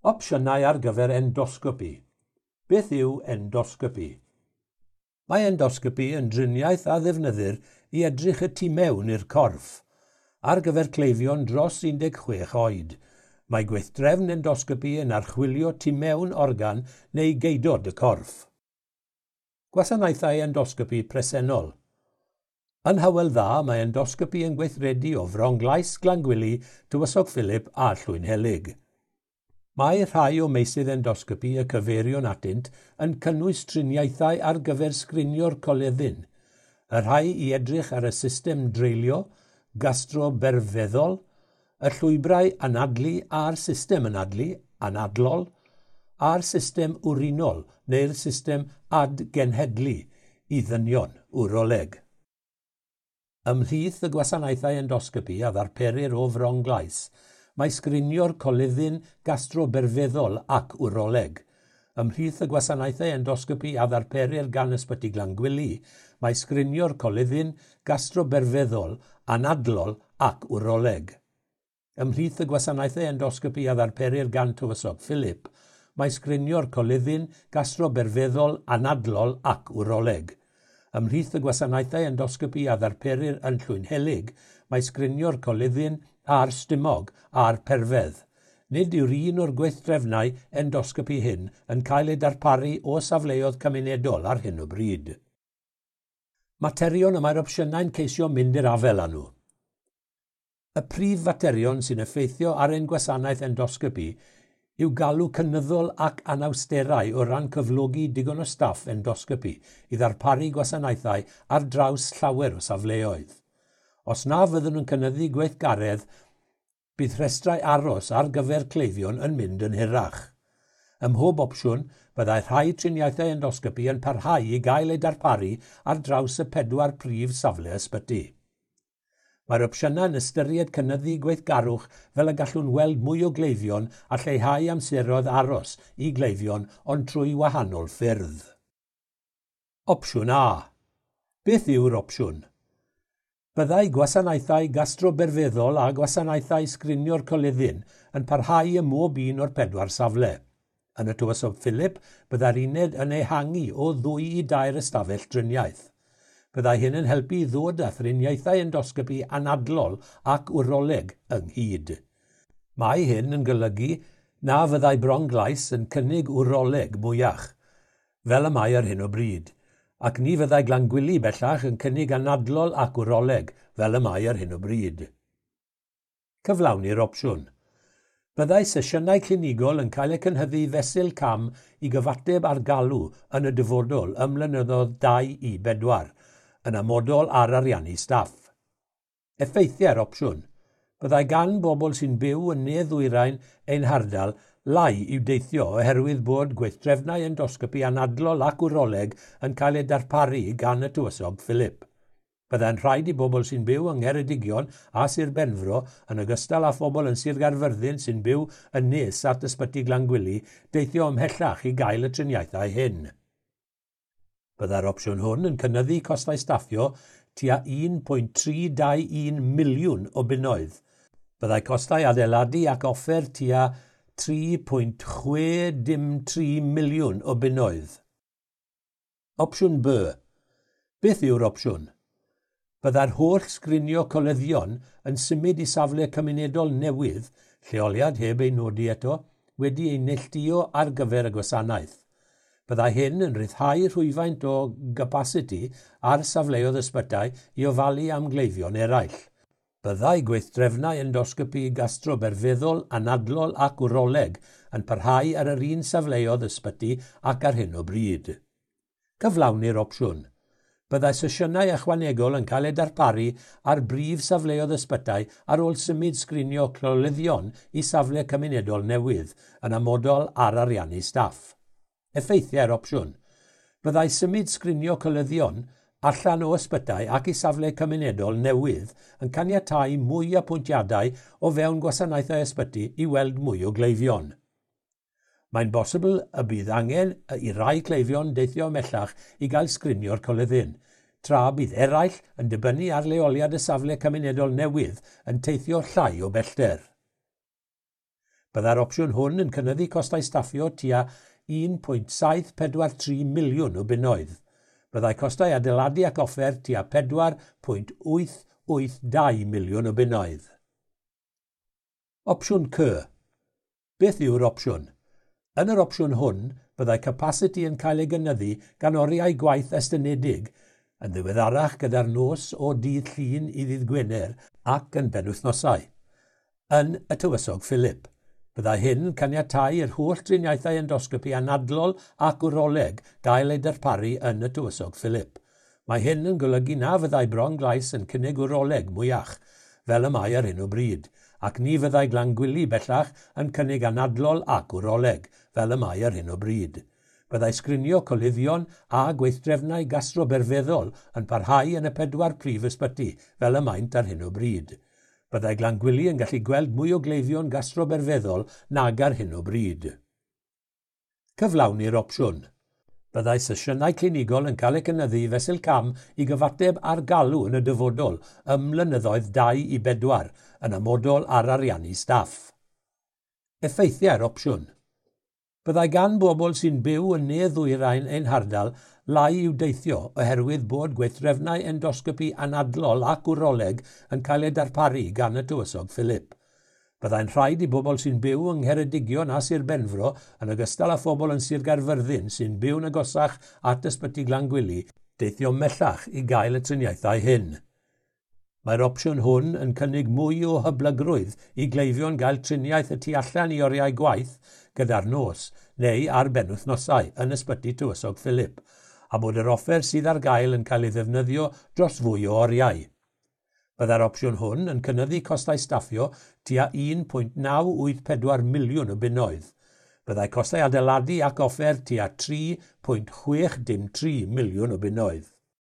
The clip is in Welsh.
Opsiynau ar gyfer endosgopi. Beth yw endosgopi? Mae endosgopi yn driniaeth a ddefnyddir i edrych y tu mewn i'r corff. Ar gyfer cleifion dros 16 oed, mae gweithdrefn endosgopi yn archwilio tu mewn organ neu geudod y corff. Gwasanaethau endosgopi presennol. Yn Hywel Dda, mae endosgopi yn gweithredu o Fronglais, Glangwili, Tywysog Philip a Llwynhelyg. Mae rhai o meysydd endosgopi y cyfeirion atynt yn cynnwys triniaethau ar gyfer sgrinio'r coluddyn, y rhai i edrych ar y system dreulio, gastroberfeddol, y llwybrau anadlu a'r system anadlu, anadlol, a'r system wrinol neu'r system adgenhedlu i ddynion, wroleg. Ymhlith y gwasanaethau endosgopi a ddarperir o Fronglais, mae sgrinio'r coluddyn gastroberfeddol ac wroleg. Ymhlith y gwasanaethau endosgopi a ddarperir gan Ysbyty Glangwili, mae sgrinio'r coluddyn gastroberfeddol, anadlol ac wroleg. Ymhlith y gwasanaethau endosgopi a ddarperir gan Tywysog Philip, mae sgrinio'r coluddyn gastroberfeddol, anadlol ac wroleg. Ymhlith y gwasanaethau endosgopi a ddarperir yn Llwynhelyg, mae sgrinio'r coluddyn a'r stumog a'r perfedd. Nid yw'r un o'r gweithdrefnau endosgopi hyn yn cael eu darparu o safleoedd cymunedol ar hyn o bryd. Materion y mae'r opsiynau'n ceisio mynd i'r afael â nhw. Y prif faterion sy'n effeithio ar ein gwasanaeth endosgopi yw galw cynyddol ac anawsterau o ran cyflogi digon o staff endosgopi i ddarparu gwasanaethau ar draws llawer o safleoedd. Os na fyddwn yn cynyddu gweithgaredd, bydd rhestrau aros ar gyfer cleifion yn mynd yn hirach. Ym mhob opsiwn, byddai rhai triniaethau endosgopi yn parhau i gael eu darparu ar draws y 4 prif safle ysbyty. Mae'r opsiynau'n ystyried cynyddu gweithgarwch fel y gallwn weld mwy o gleifion a lleihau amseroedd aros i gleifion ond trwy wahanol ffyrdd. Opsiwn A. Beth yw'r opsiwn? Byddai gwasanaethau gastroberfeddol a gwasanaethau sgrinio'r coluddyn yn parhau ym mhob un o'r 4 safle. Yn y Tywysog Philip, byddai'r uned yn ehangu o 2 i 3 ystafell driniaeth. Byddai hyn yn helpu i ddod â thriniaethau endosgopi anadlol ac wroleg ynghyd. Mae hyn yn golygu na fyddai Bronglais yn cynnig wroleg mwyach, fel y mae ar hyn o bryd, ac ni fyddai Glangwili bellach yn cynnig anadlol ac wroleg, fel y mae ar hyn o bryd. Cyflawni'r opsiwn. Byddai sesiynau clinigol yn cael eu cynhyddu fesul cam i gyfateb ar galw yn y dyfodol ym mlynyddoedd 2 i 4, yn amodol ar ariannu staff. Effeithiau'r opsiwn. Byddai gan bobl sy'n byw yn ne-ddwyrain ein hardal lai i'w deithio oherwydd bod gweithdrefnau endosgopi anadlol ac wroleg yn cael eu darparu gan y Tywysog Philip. Byddai'n rhaid i bobl sy'n byw yng Ngheredigion a Sir Benfro, yn ogystal â phobl yn Sir Gaerfyrddin sy'n byw yn nes at Ysbyty Glangwili, deithio ymhellach i gael y triniaethau hyn. Byddai'r opsiwn hwn yn cynyddu costau staffio tua 1.321 miliwn o bunnoedd. Byddai costau adeiladu ac offer tua 3.603 miliwn o bunnoedd. Opsiwn B. Beth yw'r opsiwn? Byddai'r holl sgrinio coluddion yn symud i safle cymunedol newydd, lleoliad heb ei nodi eto, wedi ei neilltuo ar gyfer y gwasanaeth. Byddai hyn yn rhyddhau rhywfaint o gapasiti ar safleoedd ysbytai i ofalu am gleifion eraill. Byddai gweithdrefnau endosgopi gastroberfeddol, anadlol ac wroleg yn parhau ar yr un safleoedd ysbyty ac ar hyn o bryd. Cyflawni'r opsiwn. Byddai sesiynau ychwanegol yn cael eu darparu ar brif safleoedd ysbytai ar ôl symud sgrinio clolyddion i safle cymunedol newydd, yn amodol ar ariannu staff. Effeithiau'r opsiwn. Byddai symud sgrinio coluddion allan o ysbytai ac i safle cymunedol newydd yn caniatáu mwy apwyntiadau o fewn gwasanaethau ysbyty i weld mwy o gleifion. Mae'n bosibl y bydd angen i rai cleifion deithio ymhellach i gael sgrinio'r coluddyn, tra bydd eraill yn dibynnu ar leoliad y safle cymunedol newydd yn teithio llai o bellter. Byddai'r opsiwn hwn yn cynyddu costau staffio tua 1.743 miliwn o bunnoedd. Byddai costau adeiladu ac offer tua 4.882 miliwn o bunnoedd. Opsiwn C. Beth yw'r opsiwn? Yn yr opsiwn hwn, byddai capasiti yn cael ei gynyddu gan oriau gwaith estynedig, yn ddiweddarach gyda'r nos o dydd Llun i ddydd Gwener ac yn benwythnosau. Yn y Tywysog Philip. Byddai hyn yn caniatáu i'r holl driniaethau endosgopi anadlol ac wroleg gael eu darparu yn y Tywysog Philip. Mae hyn yn golygu na fyddai Bron-glais yn cynnig wroleg mwyach, fel y mae ar hyn o bryd, ac ni fyddai Glangwili bellach yn cynnig anadlol ac wroleg, fel y mae ar hyn o bryd. Byddai sgrinio coluddion a gweithdrefnau gastroberfeddol yn parhau yn y pedwar prif ysbyty, fel y maent ar hyn o bryd. Byddai Glangwili yn gallu gweld mwy o gleifion gastroberfeddol nag ar hyn o bryd. Cyflawni'r opsiwn. Byddai sesiynau clinigol yn cael eu cynyddu fesul cam i gyfateb ar galw yn y dyfodol ym mlynyddoedd 2 i 4 yn amodol ar ariannu staff. Effeithiau'r opsiwn. Byddai gan bobl sy'n byw yn ne ddwyrain ein hardal lai i'w deithio oherwydd bod gweithdrefnau endosgopi anadlol ac wroleg yn cael eu darparu gan y Tywysog Philip. Byddai'n rhaid i bobl sy'n byw yng Ngheredigion a Sir Benfro, yn ogystal â phobl yn Sir Gaerfyrddin sy'n byw'n agosach at Ysbyty Glangwili, deithio mellach i gael y triniaethau hyn. Mae'r opsiwn hwn yn cynnig mwy o hyblygrwydd i gleifion gael triniaeth y tu allan i oriau gwaith gyda'r nos neu ar benwythnosau yn Ysbyty Tywysog Philip, a bod yr offer sydd ar gael yn cael ei ddefnyddio dros fwy o oriau. Byddai'r opsiwn hwn yn cynyddu costau staffio tua 1.984 miliwn o bunnoedd. Byddai costau adeiladu ac offer tua 3.603 miliwn o bunnoedd.